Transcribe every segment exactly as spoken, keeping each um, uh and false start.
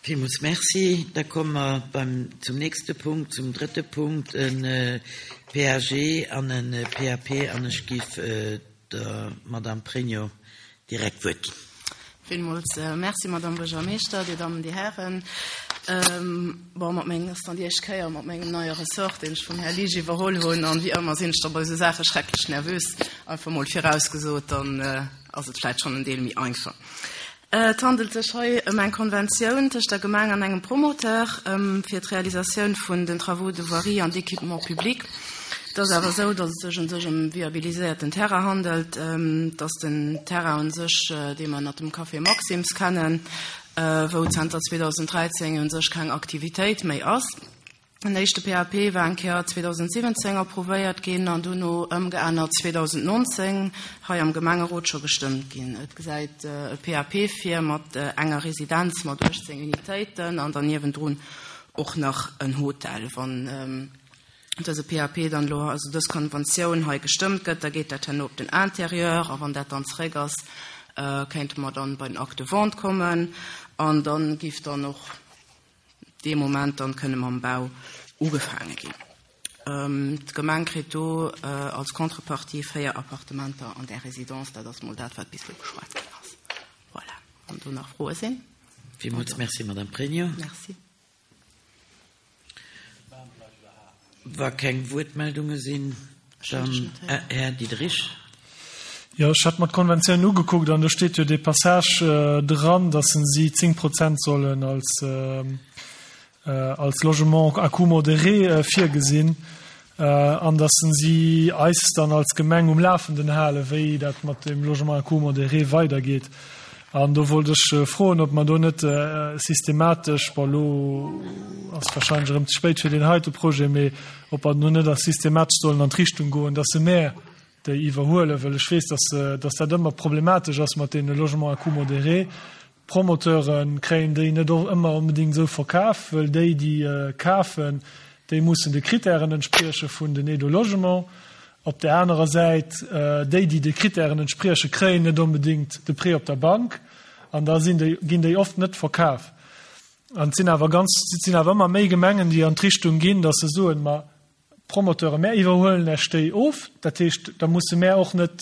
Villmools Merci. Da komme mer beim, zum nächste Punkt, zum drëtte Punkt, en P A G an en P A P, an ech giff der Madame Pregno direkt d'Wuert ginn. Villmools Merci, Madame Buergermeeschter, Dir Dammen, Dir Hären. Ähm, bon, mat mengem, ass dann déi éischt Kéier mat mengem neie Ressort, deen ech vum Här Lisch iwwerholl hunn, an wéi ëmmer sinn ech da bei esou Saache schrecklech nervös. Einfach mol virausgesot, dann äh, ass et vläicht schonn en Deel méi einfach. Äh, et handelt sech hei ëm eng Konventioun tëscht der Gemeng an engem Promoteur ähm, fir d'Realisatioun vun den Travaux de voirie an d'équipement public. Et ass awer esou, datt et sech un sech ëm viabiliséierten Terrain handelt, ähm, dass den Terrain un sech, äh, dee mer ënnert dem Café Maxims kennen, äh, wou zanter zweedausend dräizéng un sech keng Aktivitéit méi ass. Den éischte P A P war eng Kéier zweedausend siwwenzéng approuvéiert ginn an duerno ëmgeännert zweedausend nonzéng hei am Gemengerot scho gestëmmt ginn. Et gesäit e P A P vir mat enger Residenz mat uechtzéng Unitéiten an dann niewendrun och nach en Hotel. Wann dëse P A P dann elo, also dës Konventioun hei gestëmmt gëtt, da geet dat herno op den Intérieur, a wann dat dann zeréck ass, kéinte mer dann bei den Acte de vente kommen an dann giff dann och dee Moment dann kënne mam Bau ugefaange ginn. D'Gemeng kritt do als Contrepartie véier Appartementer an der Residence, dat ass mol dat, wat bis elo beschwat ginn ass. Voilà. Wann do nach Froe sinn. Villmools Merci, Madame Pregno. Merci. Wa keng Wuertmeldunge sinn, dann Här Diderich. Jo, ech hat mer d'Konventioun ugekuckt an do steet jo dee Passage dran, dass si zéng Prozent sollen als als Logement à coût modéré virgesinn an dass si eis dann als Gemeng um Lafenden halen, wéi dat mat dem Logement à coût modéré weidergeet. An do wollt ech froen, ob mer do net systematesch, bon, elo ass wahrscheinlech erëm ze spéit fir deen heite Projet, mee ob mer do net a systematesch sollen an d'Richtung goen, dass se mär déi iwwerhuelen, well ech weess, dass dass dat ëmmer problematesch ass mat deene Logements à coût modéré. D'Promoteure kréien déi net och ëmmer onbedéngt esou verkaf, well déi, déi kafen, déi mussen de Kritären entsprieche vun den Aides au logement. Op där anerer Säit, déi, déi de Kritären entsprieche, kréien net onbedéngt de Prêt op der Bank an da sinn déi, ginn déi oft net verkaf. An et sinn awer ganz, et sinn awer ëmmer méi Gemengen, déi an d'Richtung ginn, dass se soen, ma Promoteure, mär iwwerhuelen Iech déi of, dat heescht, da musse mär och net,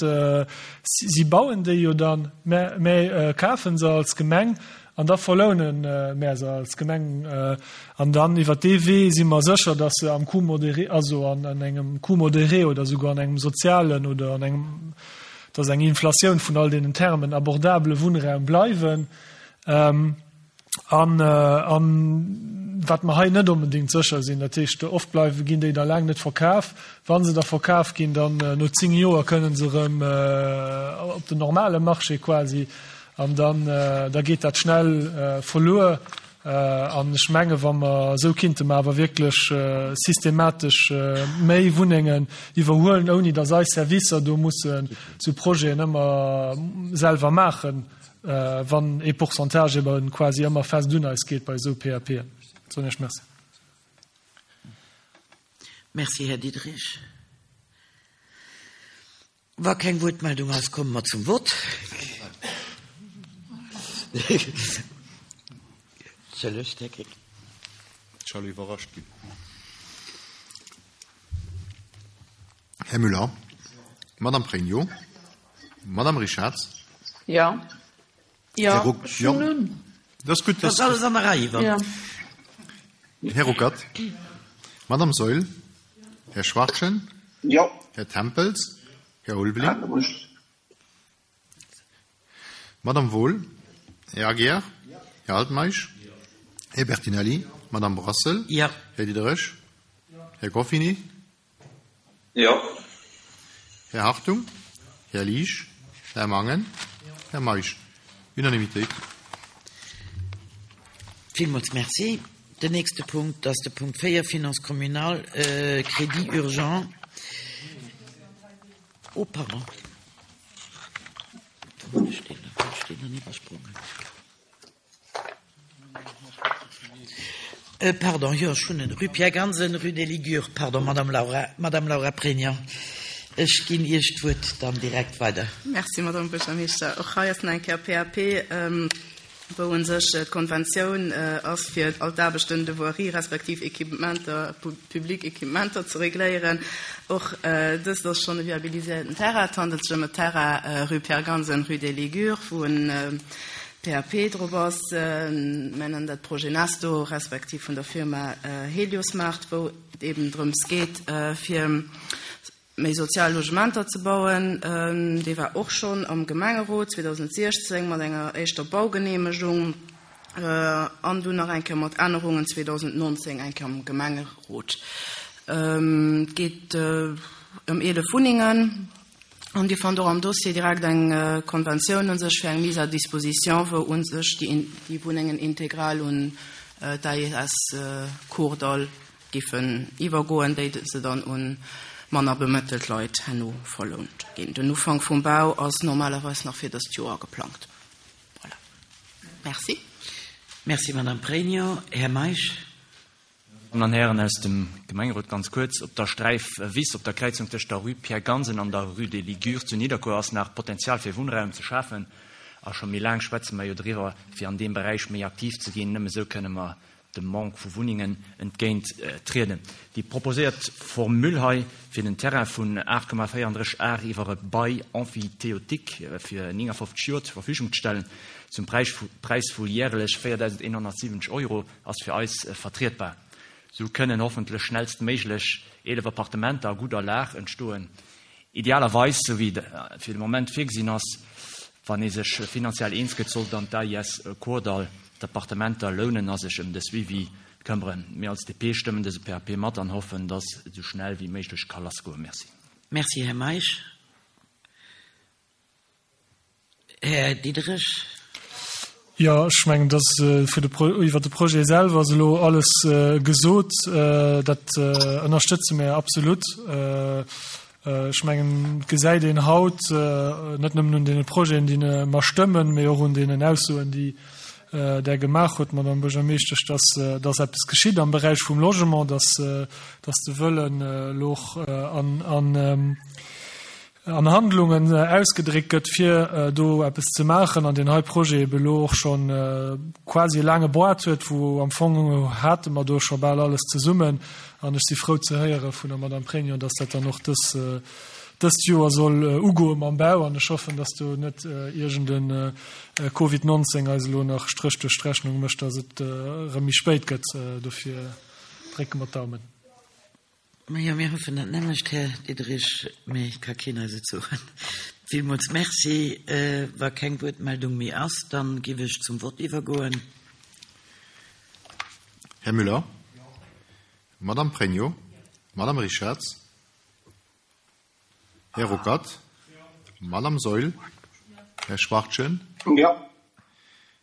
si bauen déi jo dann, mär, mär kafe se als Gemeng an da verloune mär se als Gemeng an dann iwwer dee Wee si mer sécher, datt se am Coût modéré, also an an engem Coût modéré oder souguer an engem sozialen oder an engem, dat ass eng Inflatioun vun all deenen Termen, abordabele Wunnraum bleiwen. An an wat mer hei net onbedéngt sécher sinn, dat heescht, oft bleiwe ginn déi da laang net verkaf. Wa se da verkaf ginn, dann no zéng Joer kënne se erëm op den normale Marché quasi an dann da geet dat schnell verluer. An ech menge wa mer esou kinnte mer awer wierklech systematesch méi Wunnengen iwwerhuelen, ouni datt eis Servicer do mussen sou Projeten ëmmer selwer maachen, wann ee Pourcentage eben quasi ëmmer fest un eis geet bei esou P A P en. Soen ech Merci. Merci, Här Diderich. Wa keng Wuertmeldung ass, komme mer zum Vott. Entschëllegt, Här Krick. Ech elo iwwerrascht ginn. Här Müller, Madame Pregno, Madame Richards. Jo. Jo, Här Ruck, ech hunn jo. un. Dat ass gutt. Dat ass alles an der Rei, Yvonne. Ja. Här Ruckert, Madame Saeul, Här Schwachtgen, Jo. Här Tempels, Här Ulveling, Madame Wohl, Här Aguiar, Här Altmeisch, Här Bertinelli, Madame Brassel, Jo. Här Diderich, Här Goffini, Jo. Här Hartung, Här Liesch, Här Mangen, Här Meisch. Unanimitéit. Villmools Merci. Den nächste Punkt ass de Punkt véier, Finances communales, äh, Crédit urgent. Oh, pardon. Wou hunn ech deen? Wou hunn ech deen dann iwwersprongen? Äh, pardon, jo, ech hunn en. Rue Pierre Gansen, Rue des Ligures. Pardon, Madame Laura, Madame Laura Pregno. Ech ginn Iech d'Wuert dann direkt weider. Merci, Madame Buergermeeschter. Och hei ass nach eng Kéier P A P. Ähm, wou u sech d'Konventioun ass fir all d'Aarbechten de voirie respektiv Equipementer, public Equipementer ze regléieren. Och dëst ass schonn e viabiliséierten Terrain. Et handelt sech ëm e Terrain rue Pierre Gansen, rue des Ligures, wou en P A P drop ass. Mir nennen dat Projet Nesto respektiv vun der Firma Heliosmart, wou et eben drëms geet, fir méi sozial Logementer ze bauen. Dee war och schonn am Gemengerot zweedausendsechzéng mat enger éischter Baugeneemegung an dunn nach eng Kéier mat Ännerungen zweedausendnonzéng eng Kéier am Gemengerot. Et geet ëm eelef Wunnengen an Dir fannt och am Dossier direkt eng Konventioun un sech fir eng Mise à disposition, wou un sech déi Wunnengen integral un d'A I S Kordall giffen iwwergoen, déi se dann un manner bemëttelt Leit herno verlount ginn. Den Ufank vum Bau ass normalerweis nach fir dëst Joer geplangt. Voilà. Merci. Merci, Madame Pregno. Här Meisch. Damen an Hären aus dem Gemengerot, ganz kuerz. Op der Sträif Wiss, op der Kräizung tëscht der Rue Pierre Gansen an der Rue des Ligures zu Nidderkuer ass nach Potenzial fir Wunnraum ze schafen. A scho méi laang schwätze mer jo driwwer, fir an deem Beräich méi aktiv ze ginn. Nëmme sou kënne mer dem Manque vu Wunnengen entgéint trieden. Déi proposéiert Formule hei fir den Terrain vun aacht Komma véierunddrësseg Ar iwwer e Bail emphytéotique fir neunundfünfzig Joer zur Verfügung ze stellen, zum Preis vu, Preis vu jährlech viertausendeinhundertsiebzig Euro ass fir eis vertretbar. So kënnen hoffentlich schnellstméiglech eelef Appartementer a guter Lag entstoen. Idealerweis, so wie fir de Moment virgesinn ass, wann ee sech finanziell eens gëtt, soll dann d'A I S Kordall d'Appartementer lounen a sech ëm de Suivi këmmern. Mir als D P stëmmen dëse P A P mat an hoffen, dass et so schnell wie méiglech ka lassgoen. Merci. Merci, Här Meisch. Här Diderich. Ja, ech mengen, dass, äh, fir de Pro-, iwwer de Projet selwer ass elo alles, äh, gesot. Äh, dat, äh, ënnerstëtze mir absolut. Äh, äh, ech mengen, gesäit een haut, äh, net nëmmen un den Projeten, déi ne mer stëmmen, mee och un den Aussoen, déi, äh, der gemaach huet, Madame Buergermeeschtesch, dass, äh, dass eppes geschitt am Beräich vum Logement, dass, äh, dass de Wëllen, äh, loch, äh, an, an, ähm, an Handlungen, äh, ausgedréckt gëtt, fir, äh, do eppes ze maachen an den hei Projet eben elo och schon, äh, quasi lange Boîte huet, wo am Fong hate mer do scho bal alles zesummen. An ech si frou ze héiere vun der Madame Pregno, dass dat dann och dës, äh, dëst Joer soll, äh, ugoen am Bau an ech hoffen, dass du net, äh, irgenden, äh, Covid neunzehn eis elo nach Strich durch d'Rechnung mécht, dass et, äh, erëm méi spéit gëtt. Äh, dofir drécke mer d'Daumen. Ja, mir hoffen dat nämlech, Här Diderich, mee ka keen eis et soen. Villmools merci. Äh, wa keng Wuertmeldung méi ass, dann giff ech zum Wort iwwergoen. Här Müller? Madame Pregno? Madame Richards? Herr Ruckert? Madame Seul? Herr Schwartchen? Ja.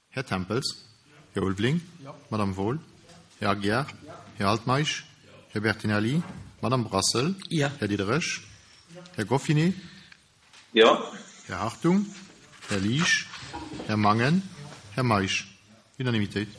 Herr Tempels? Herr Ulveling? Madame Wohl? Herr Aguiar? Herr Altmaisch? Herr Bertinelli? Madame Brassel? Ja. Herr Diderich? Herr Goffinet? Ja. Herr Hartung? Herr Liesch? Herr Mangen? Herr Meisch? Unanimitéit.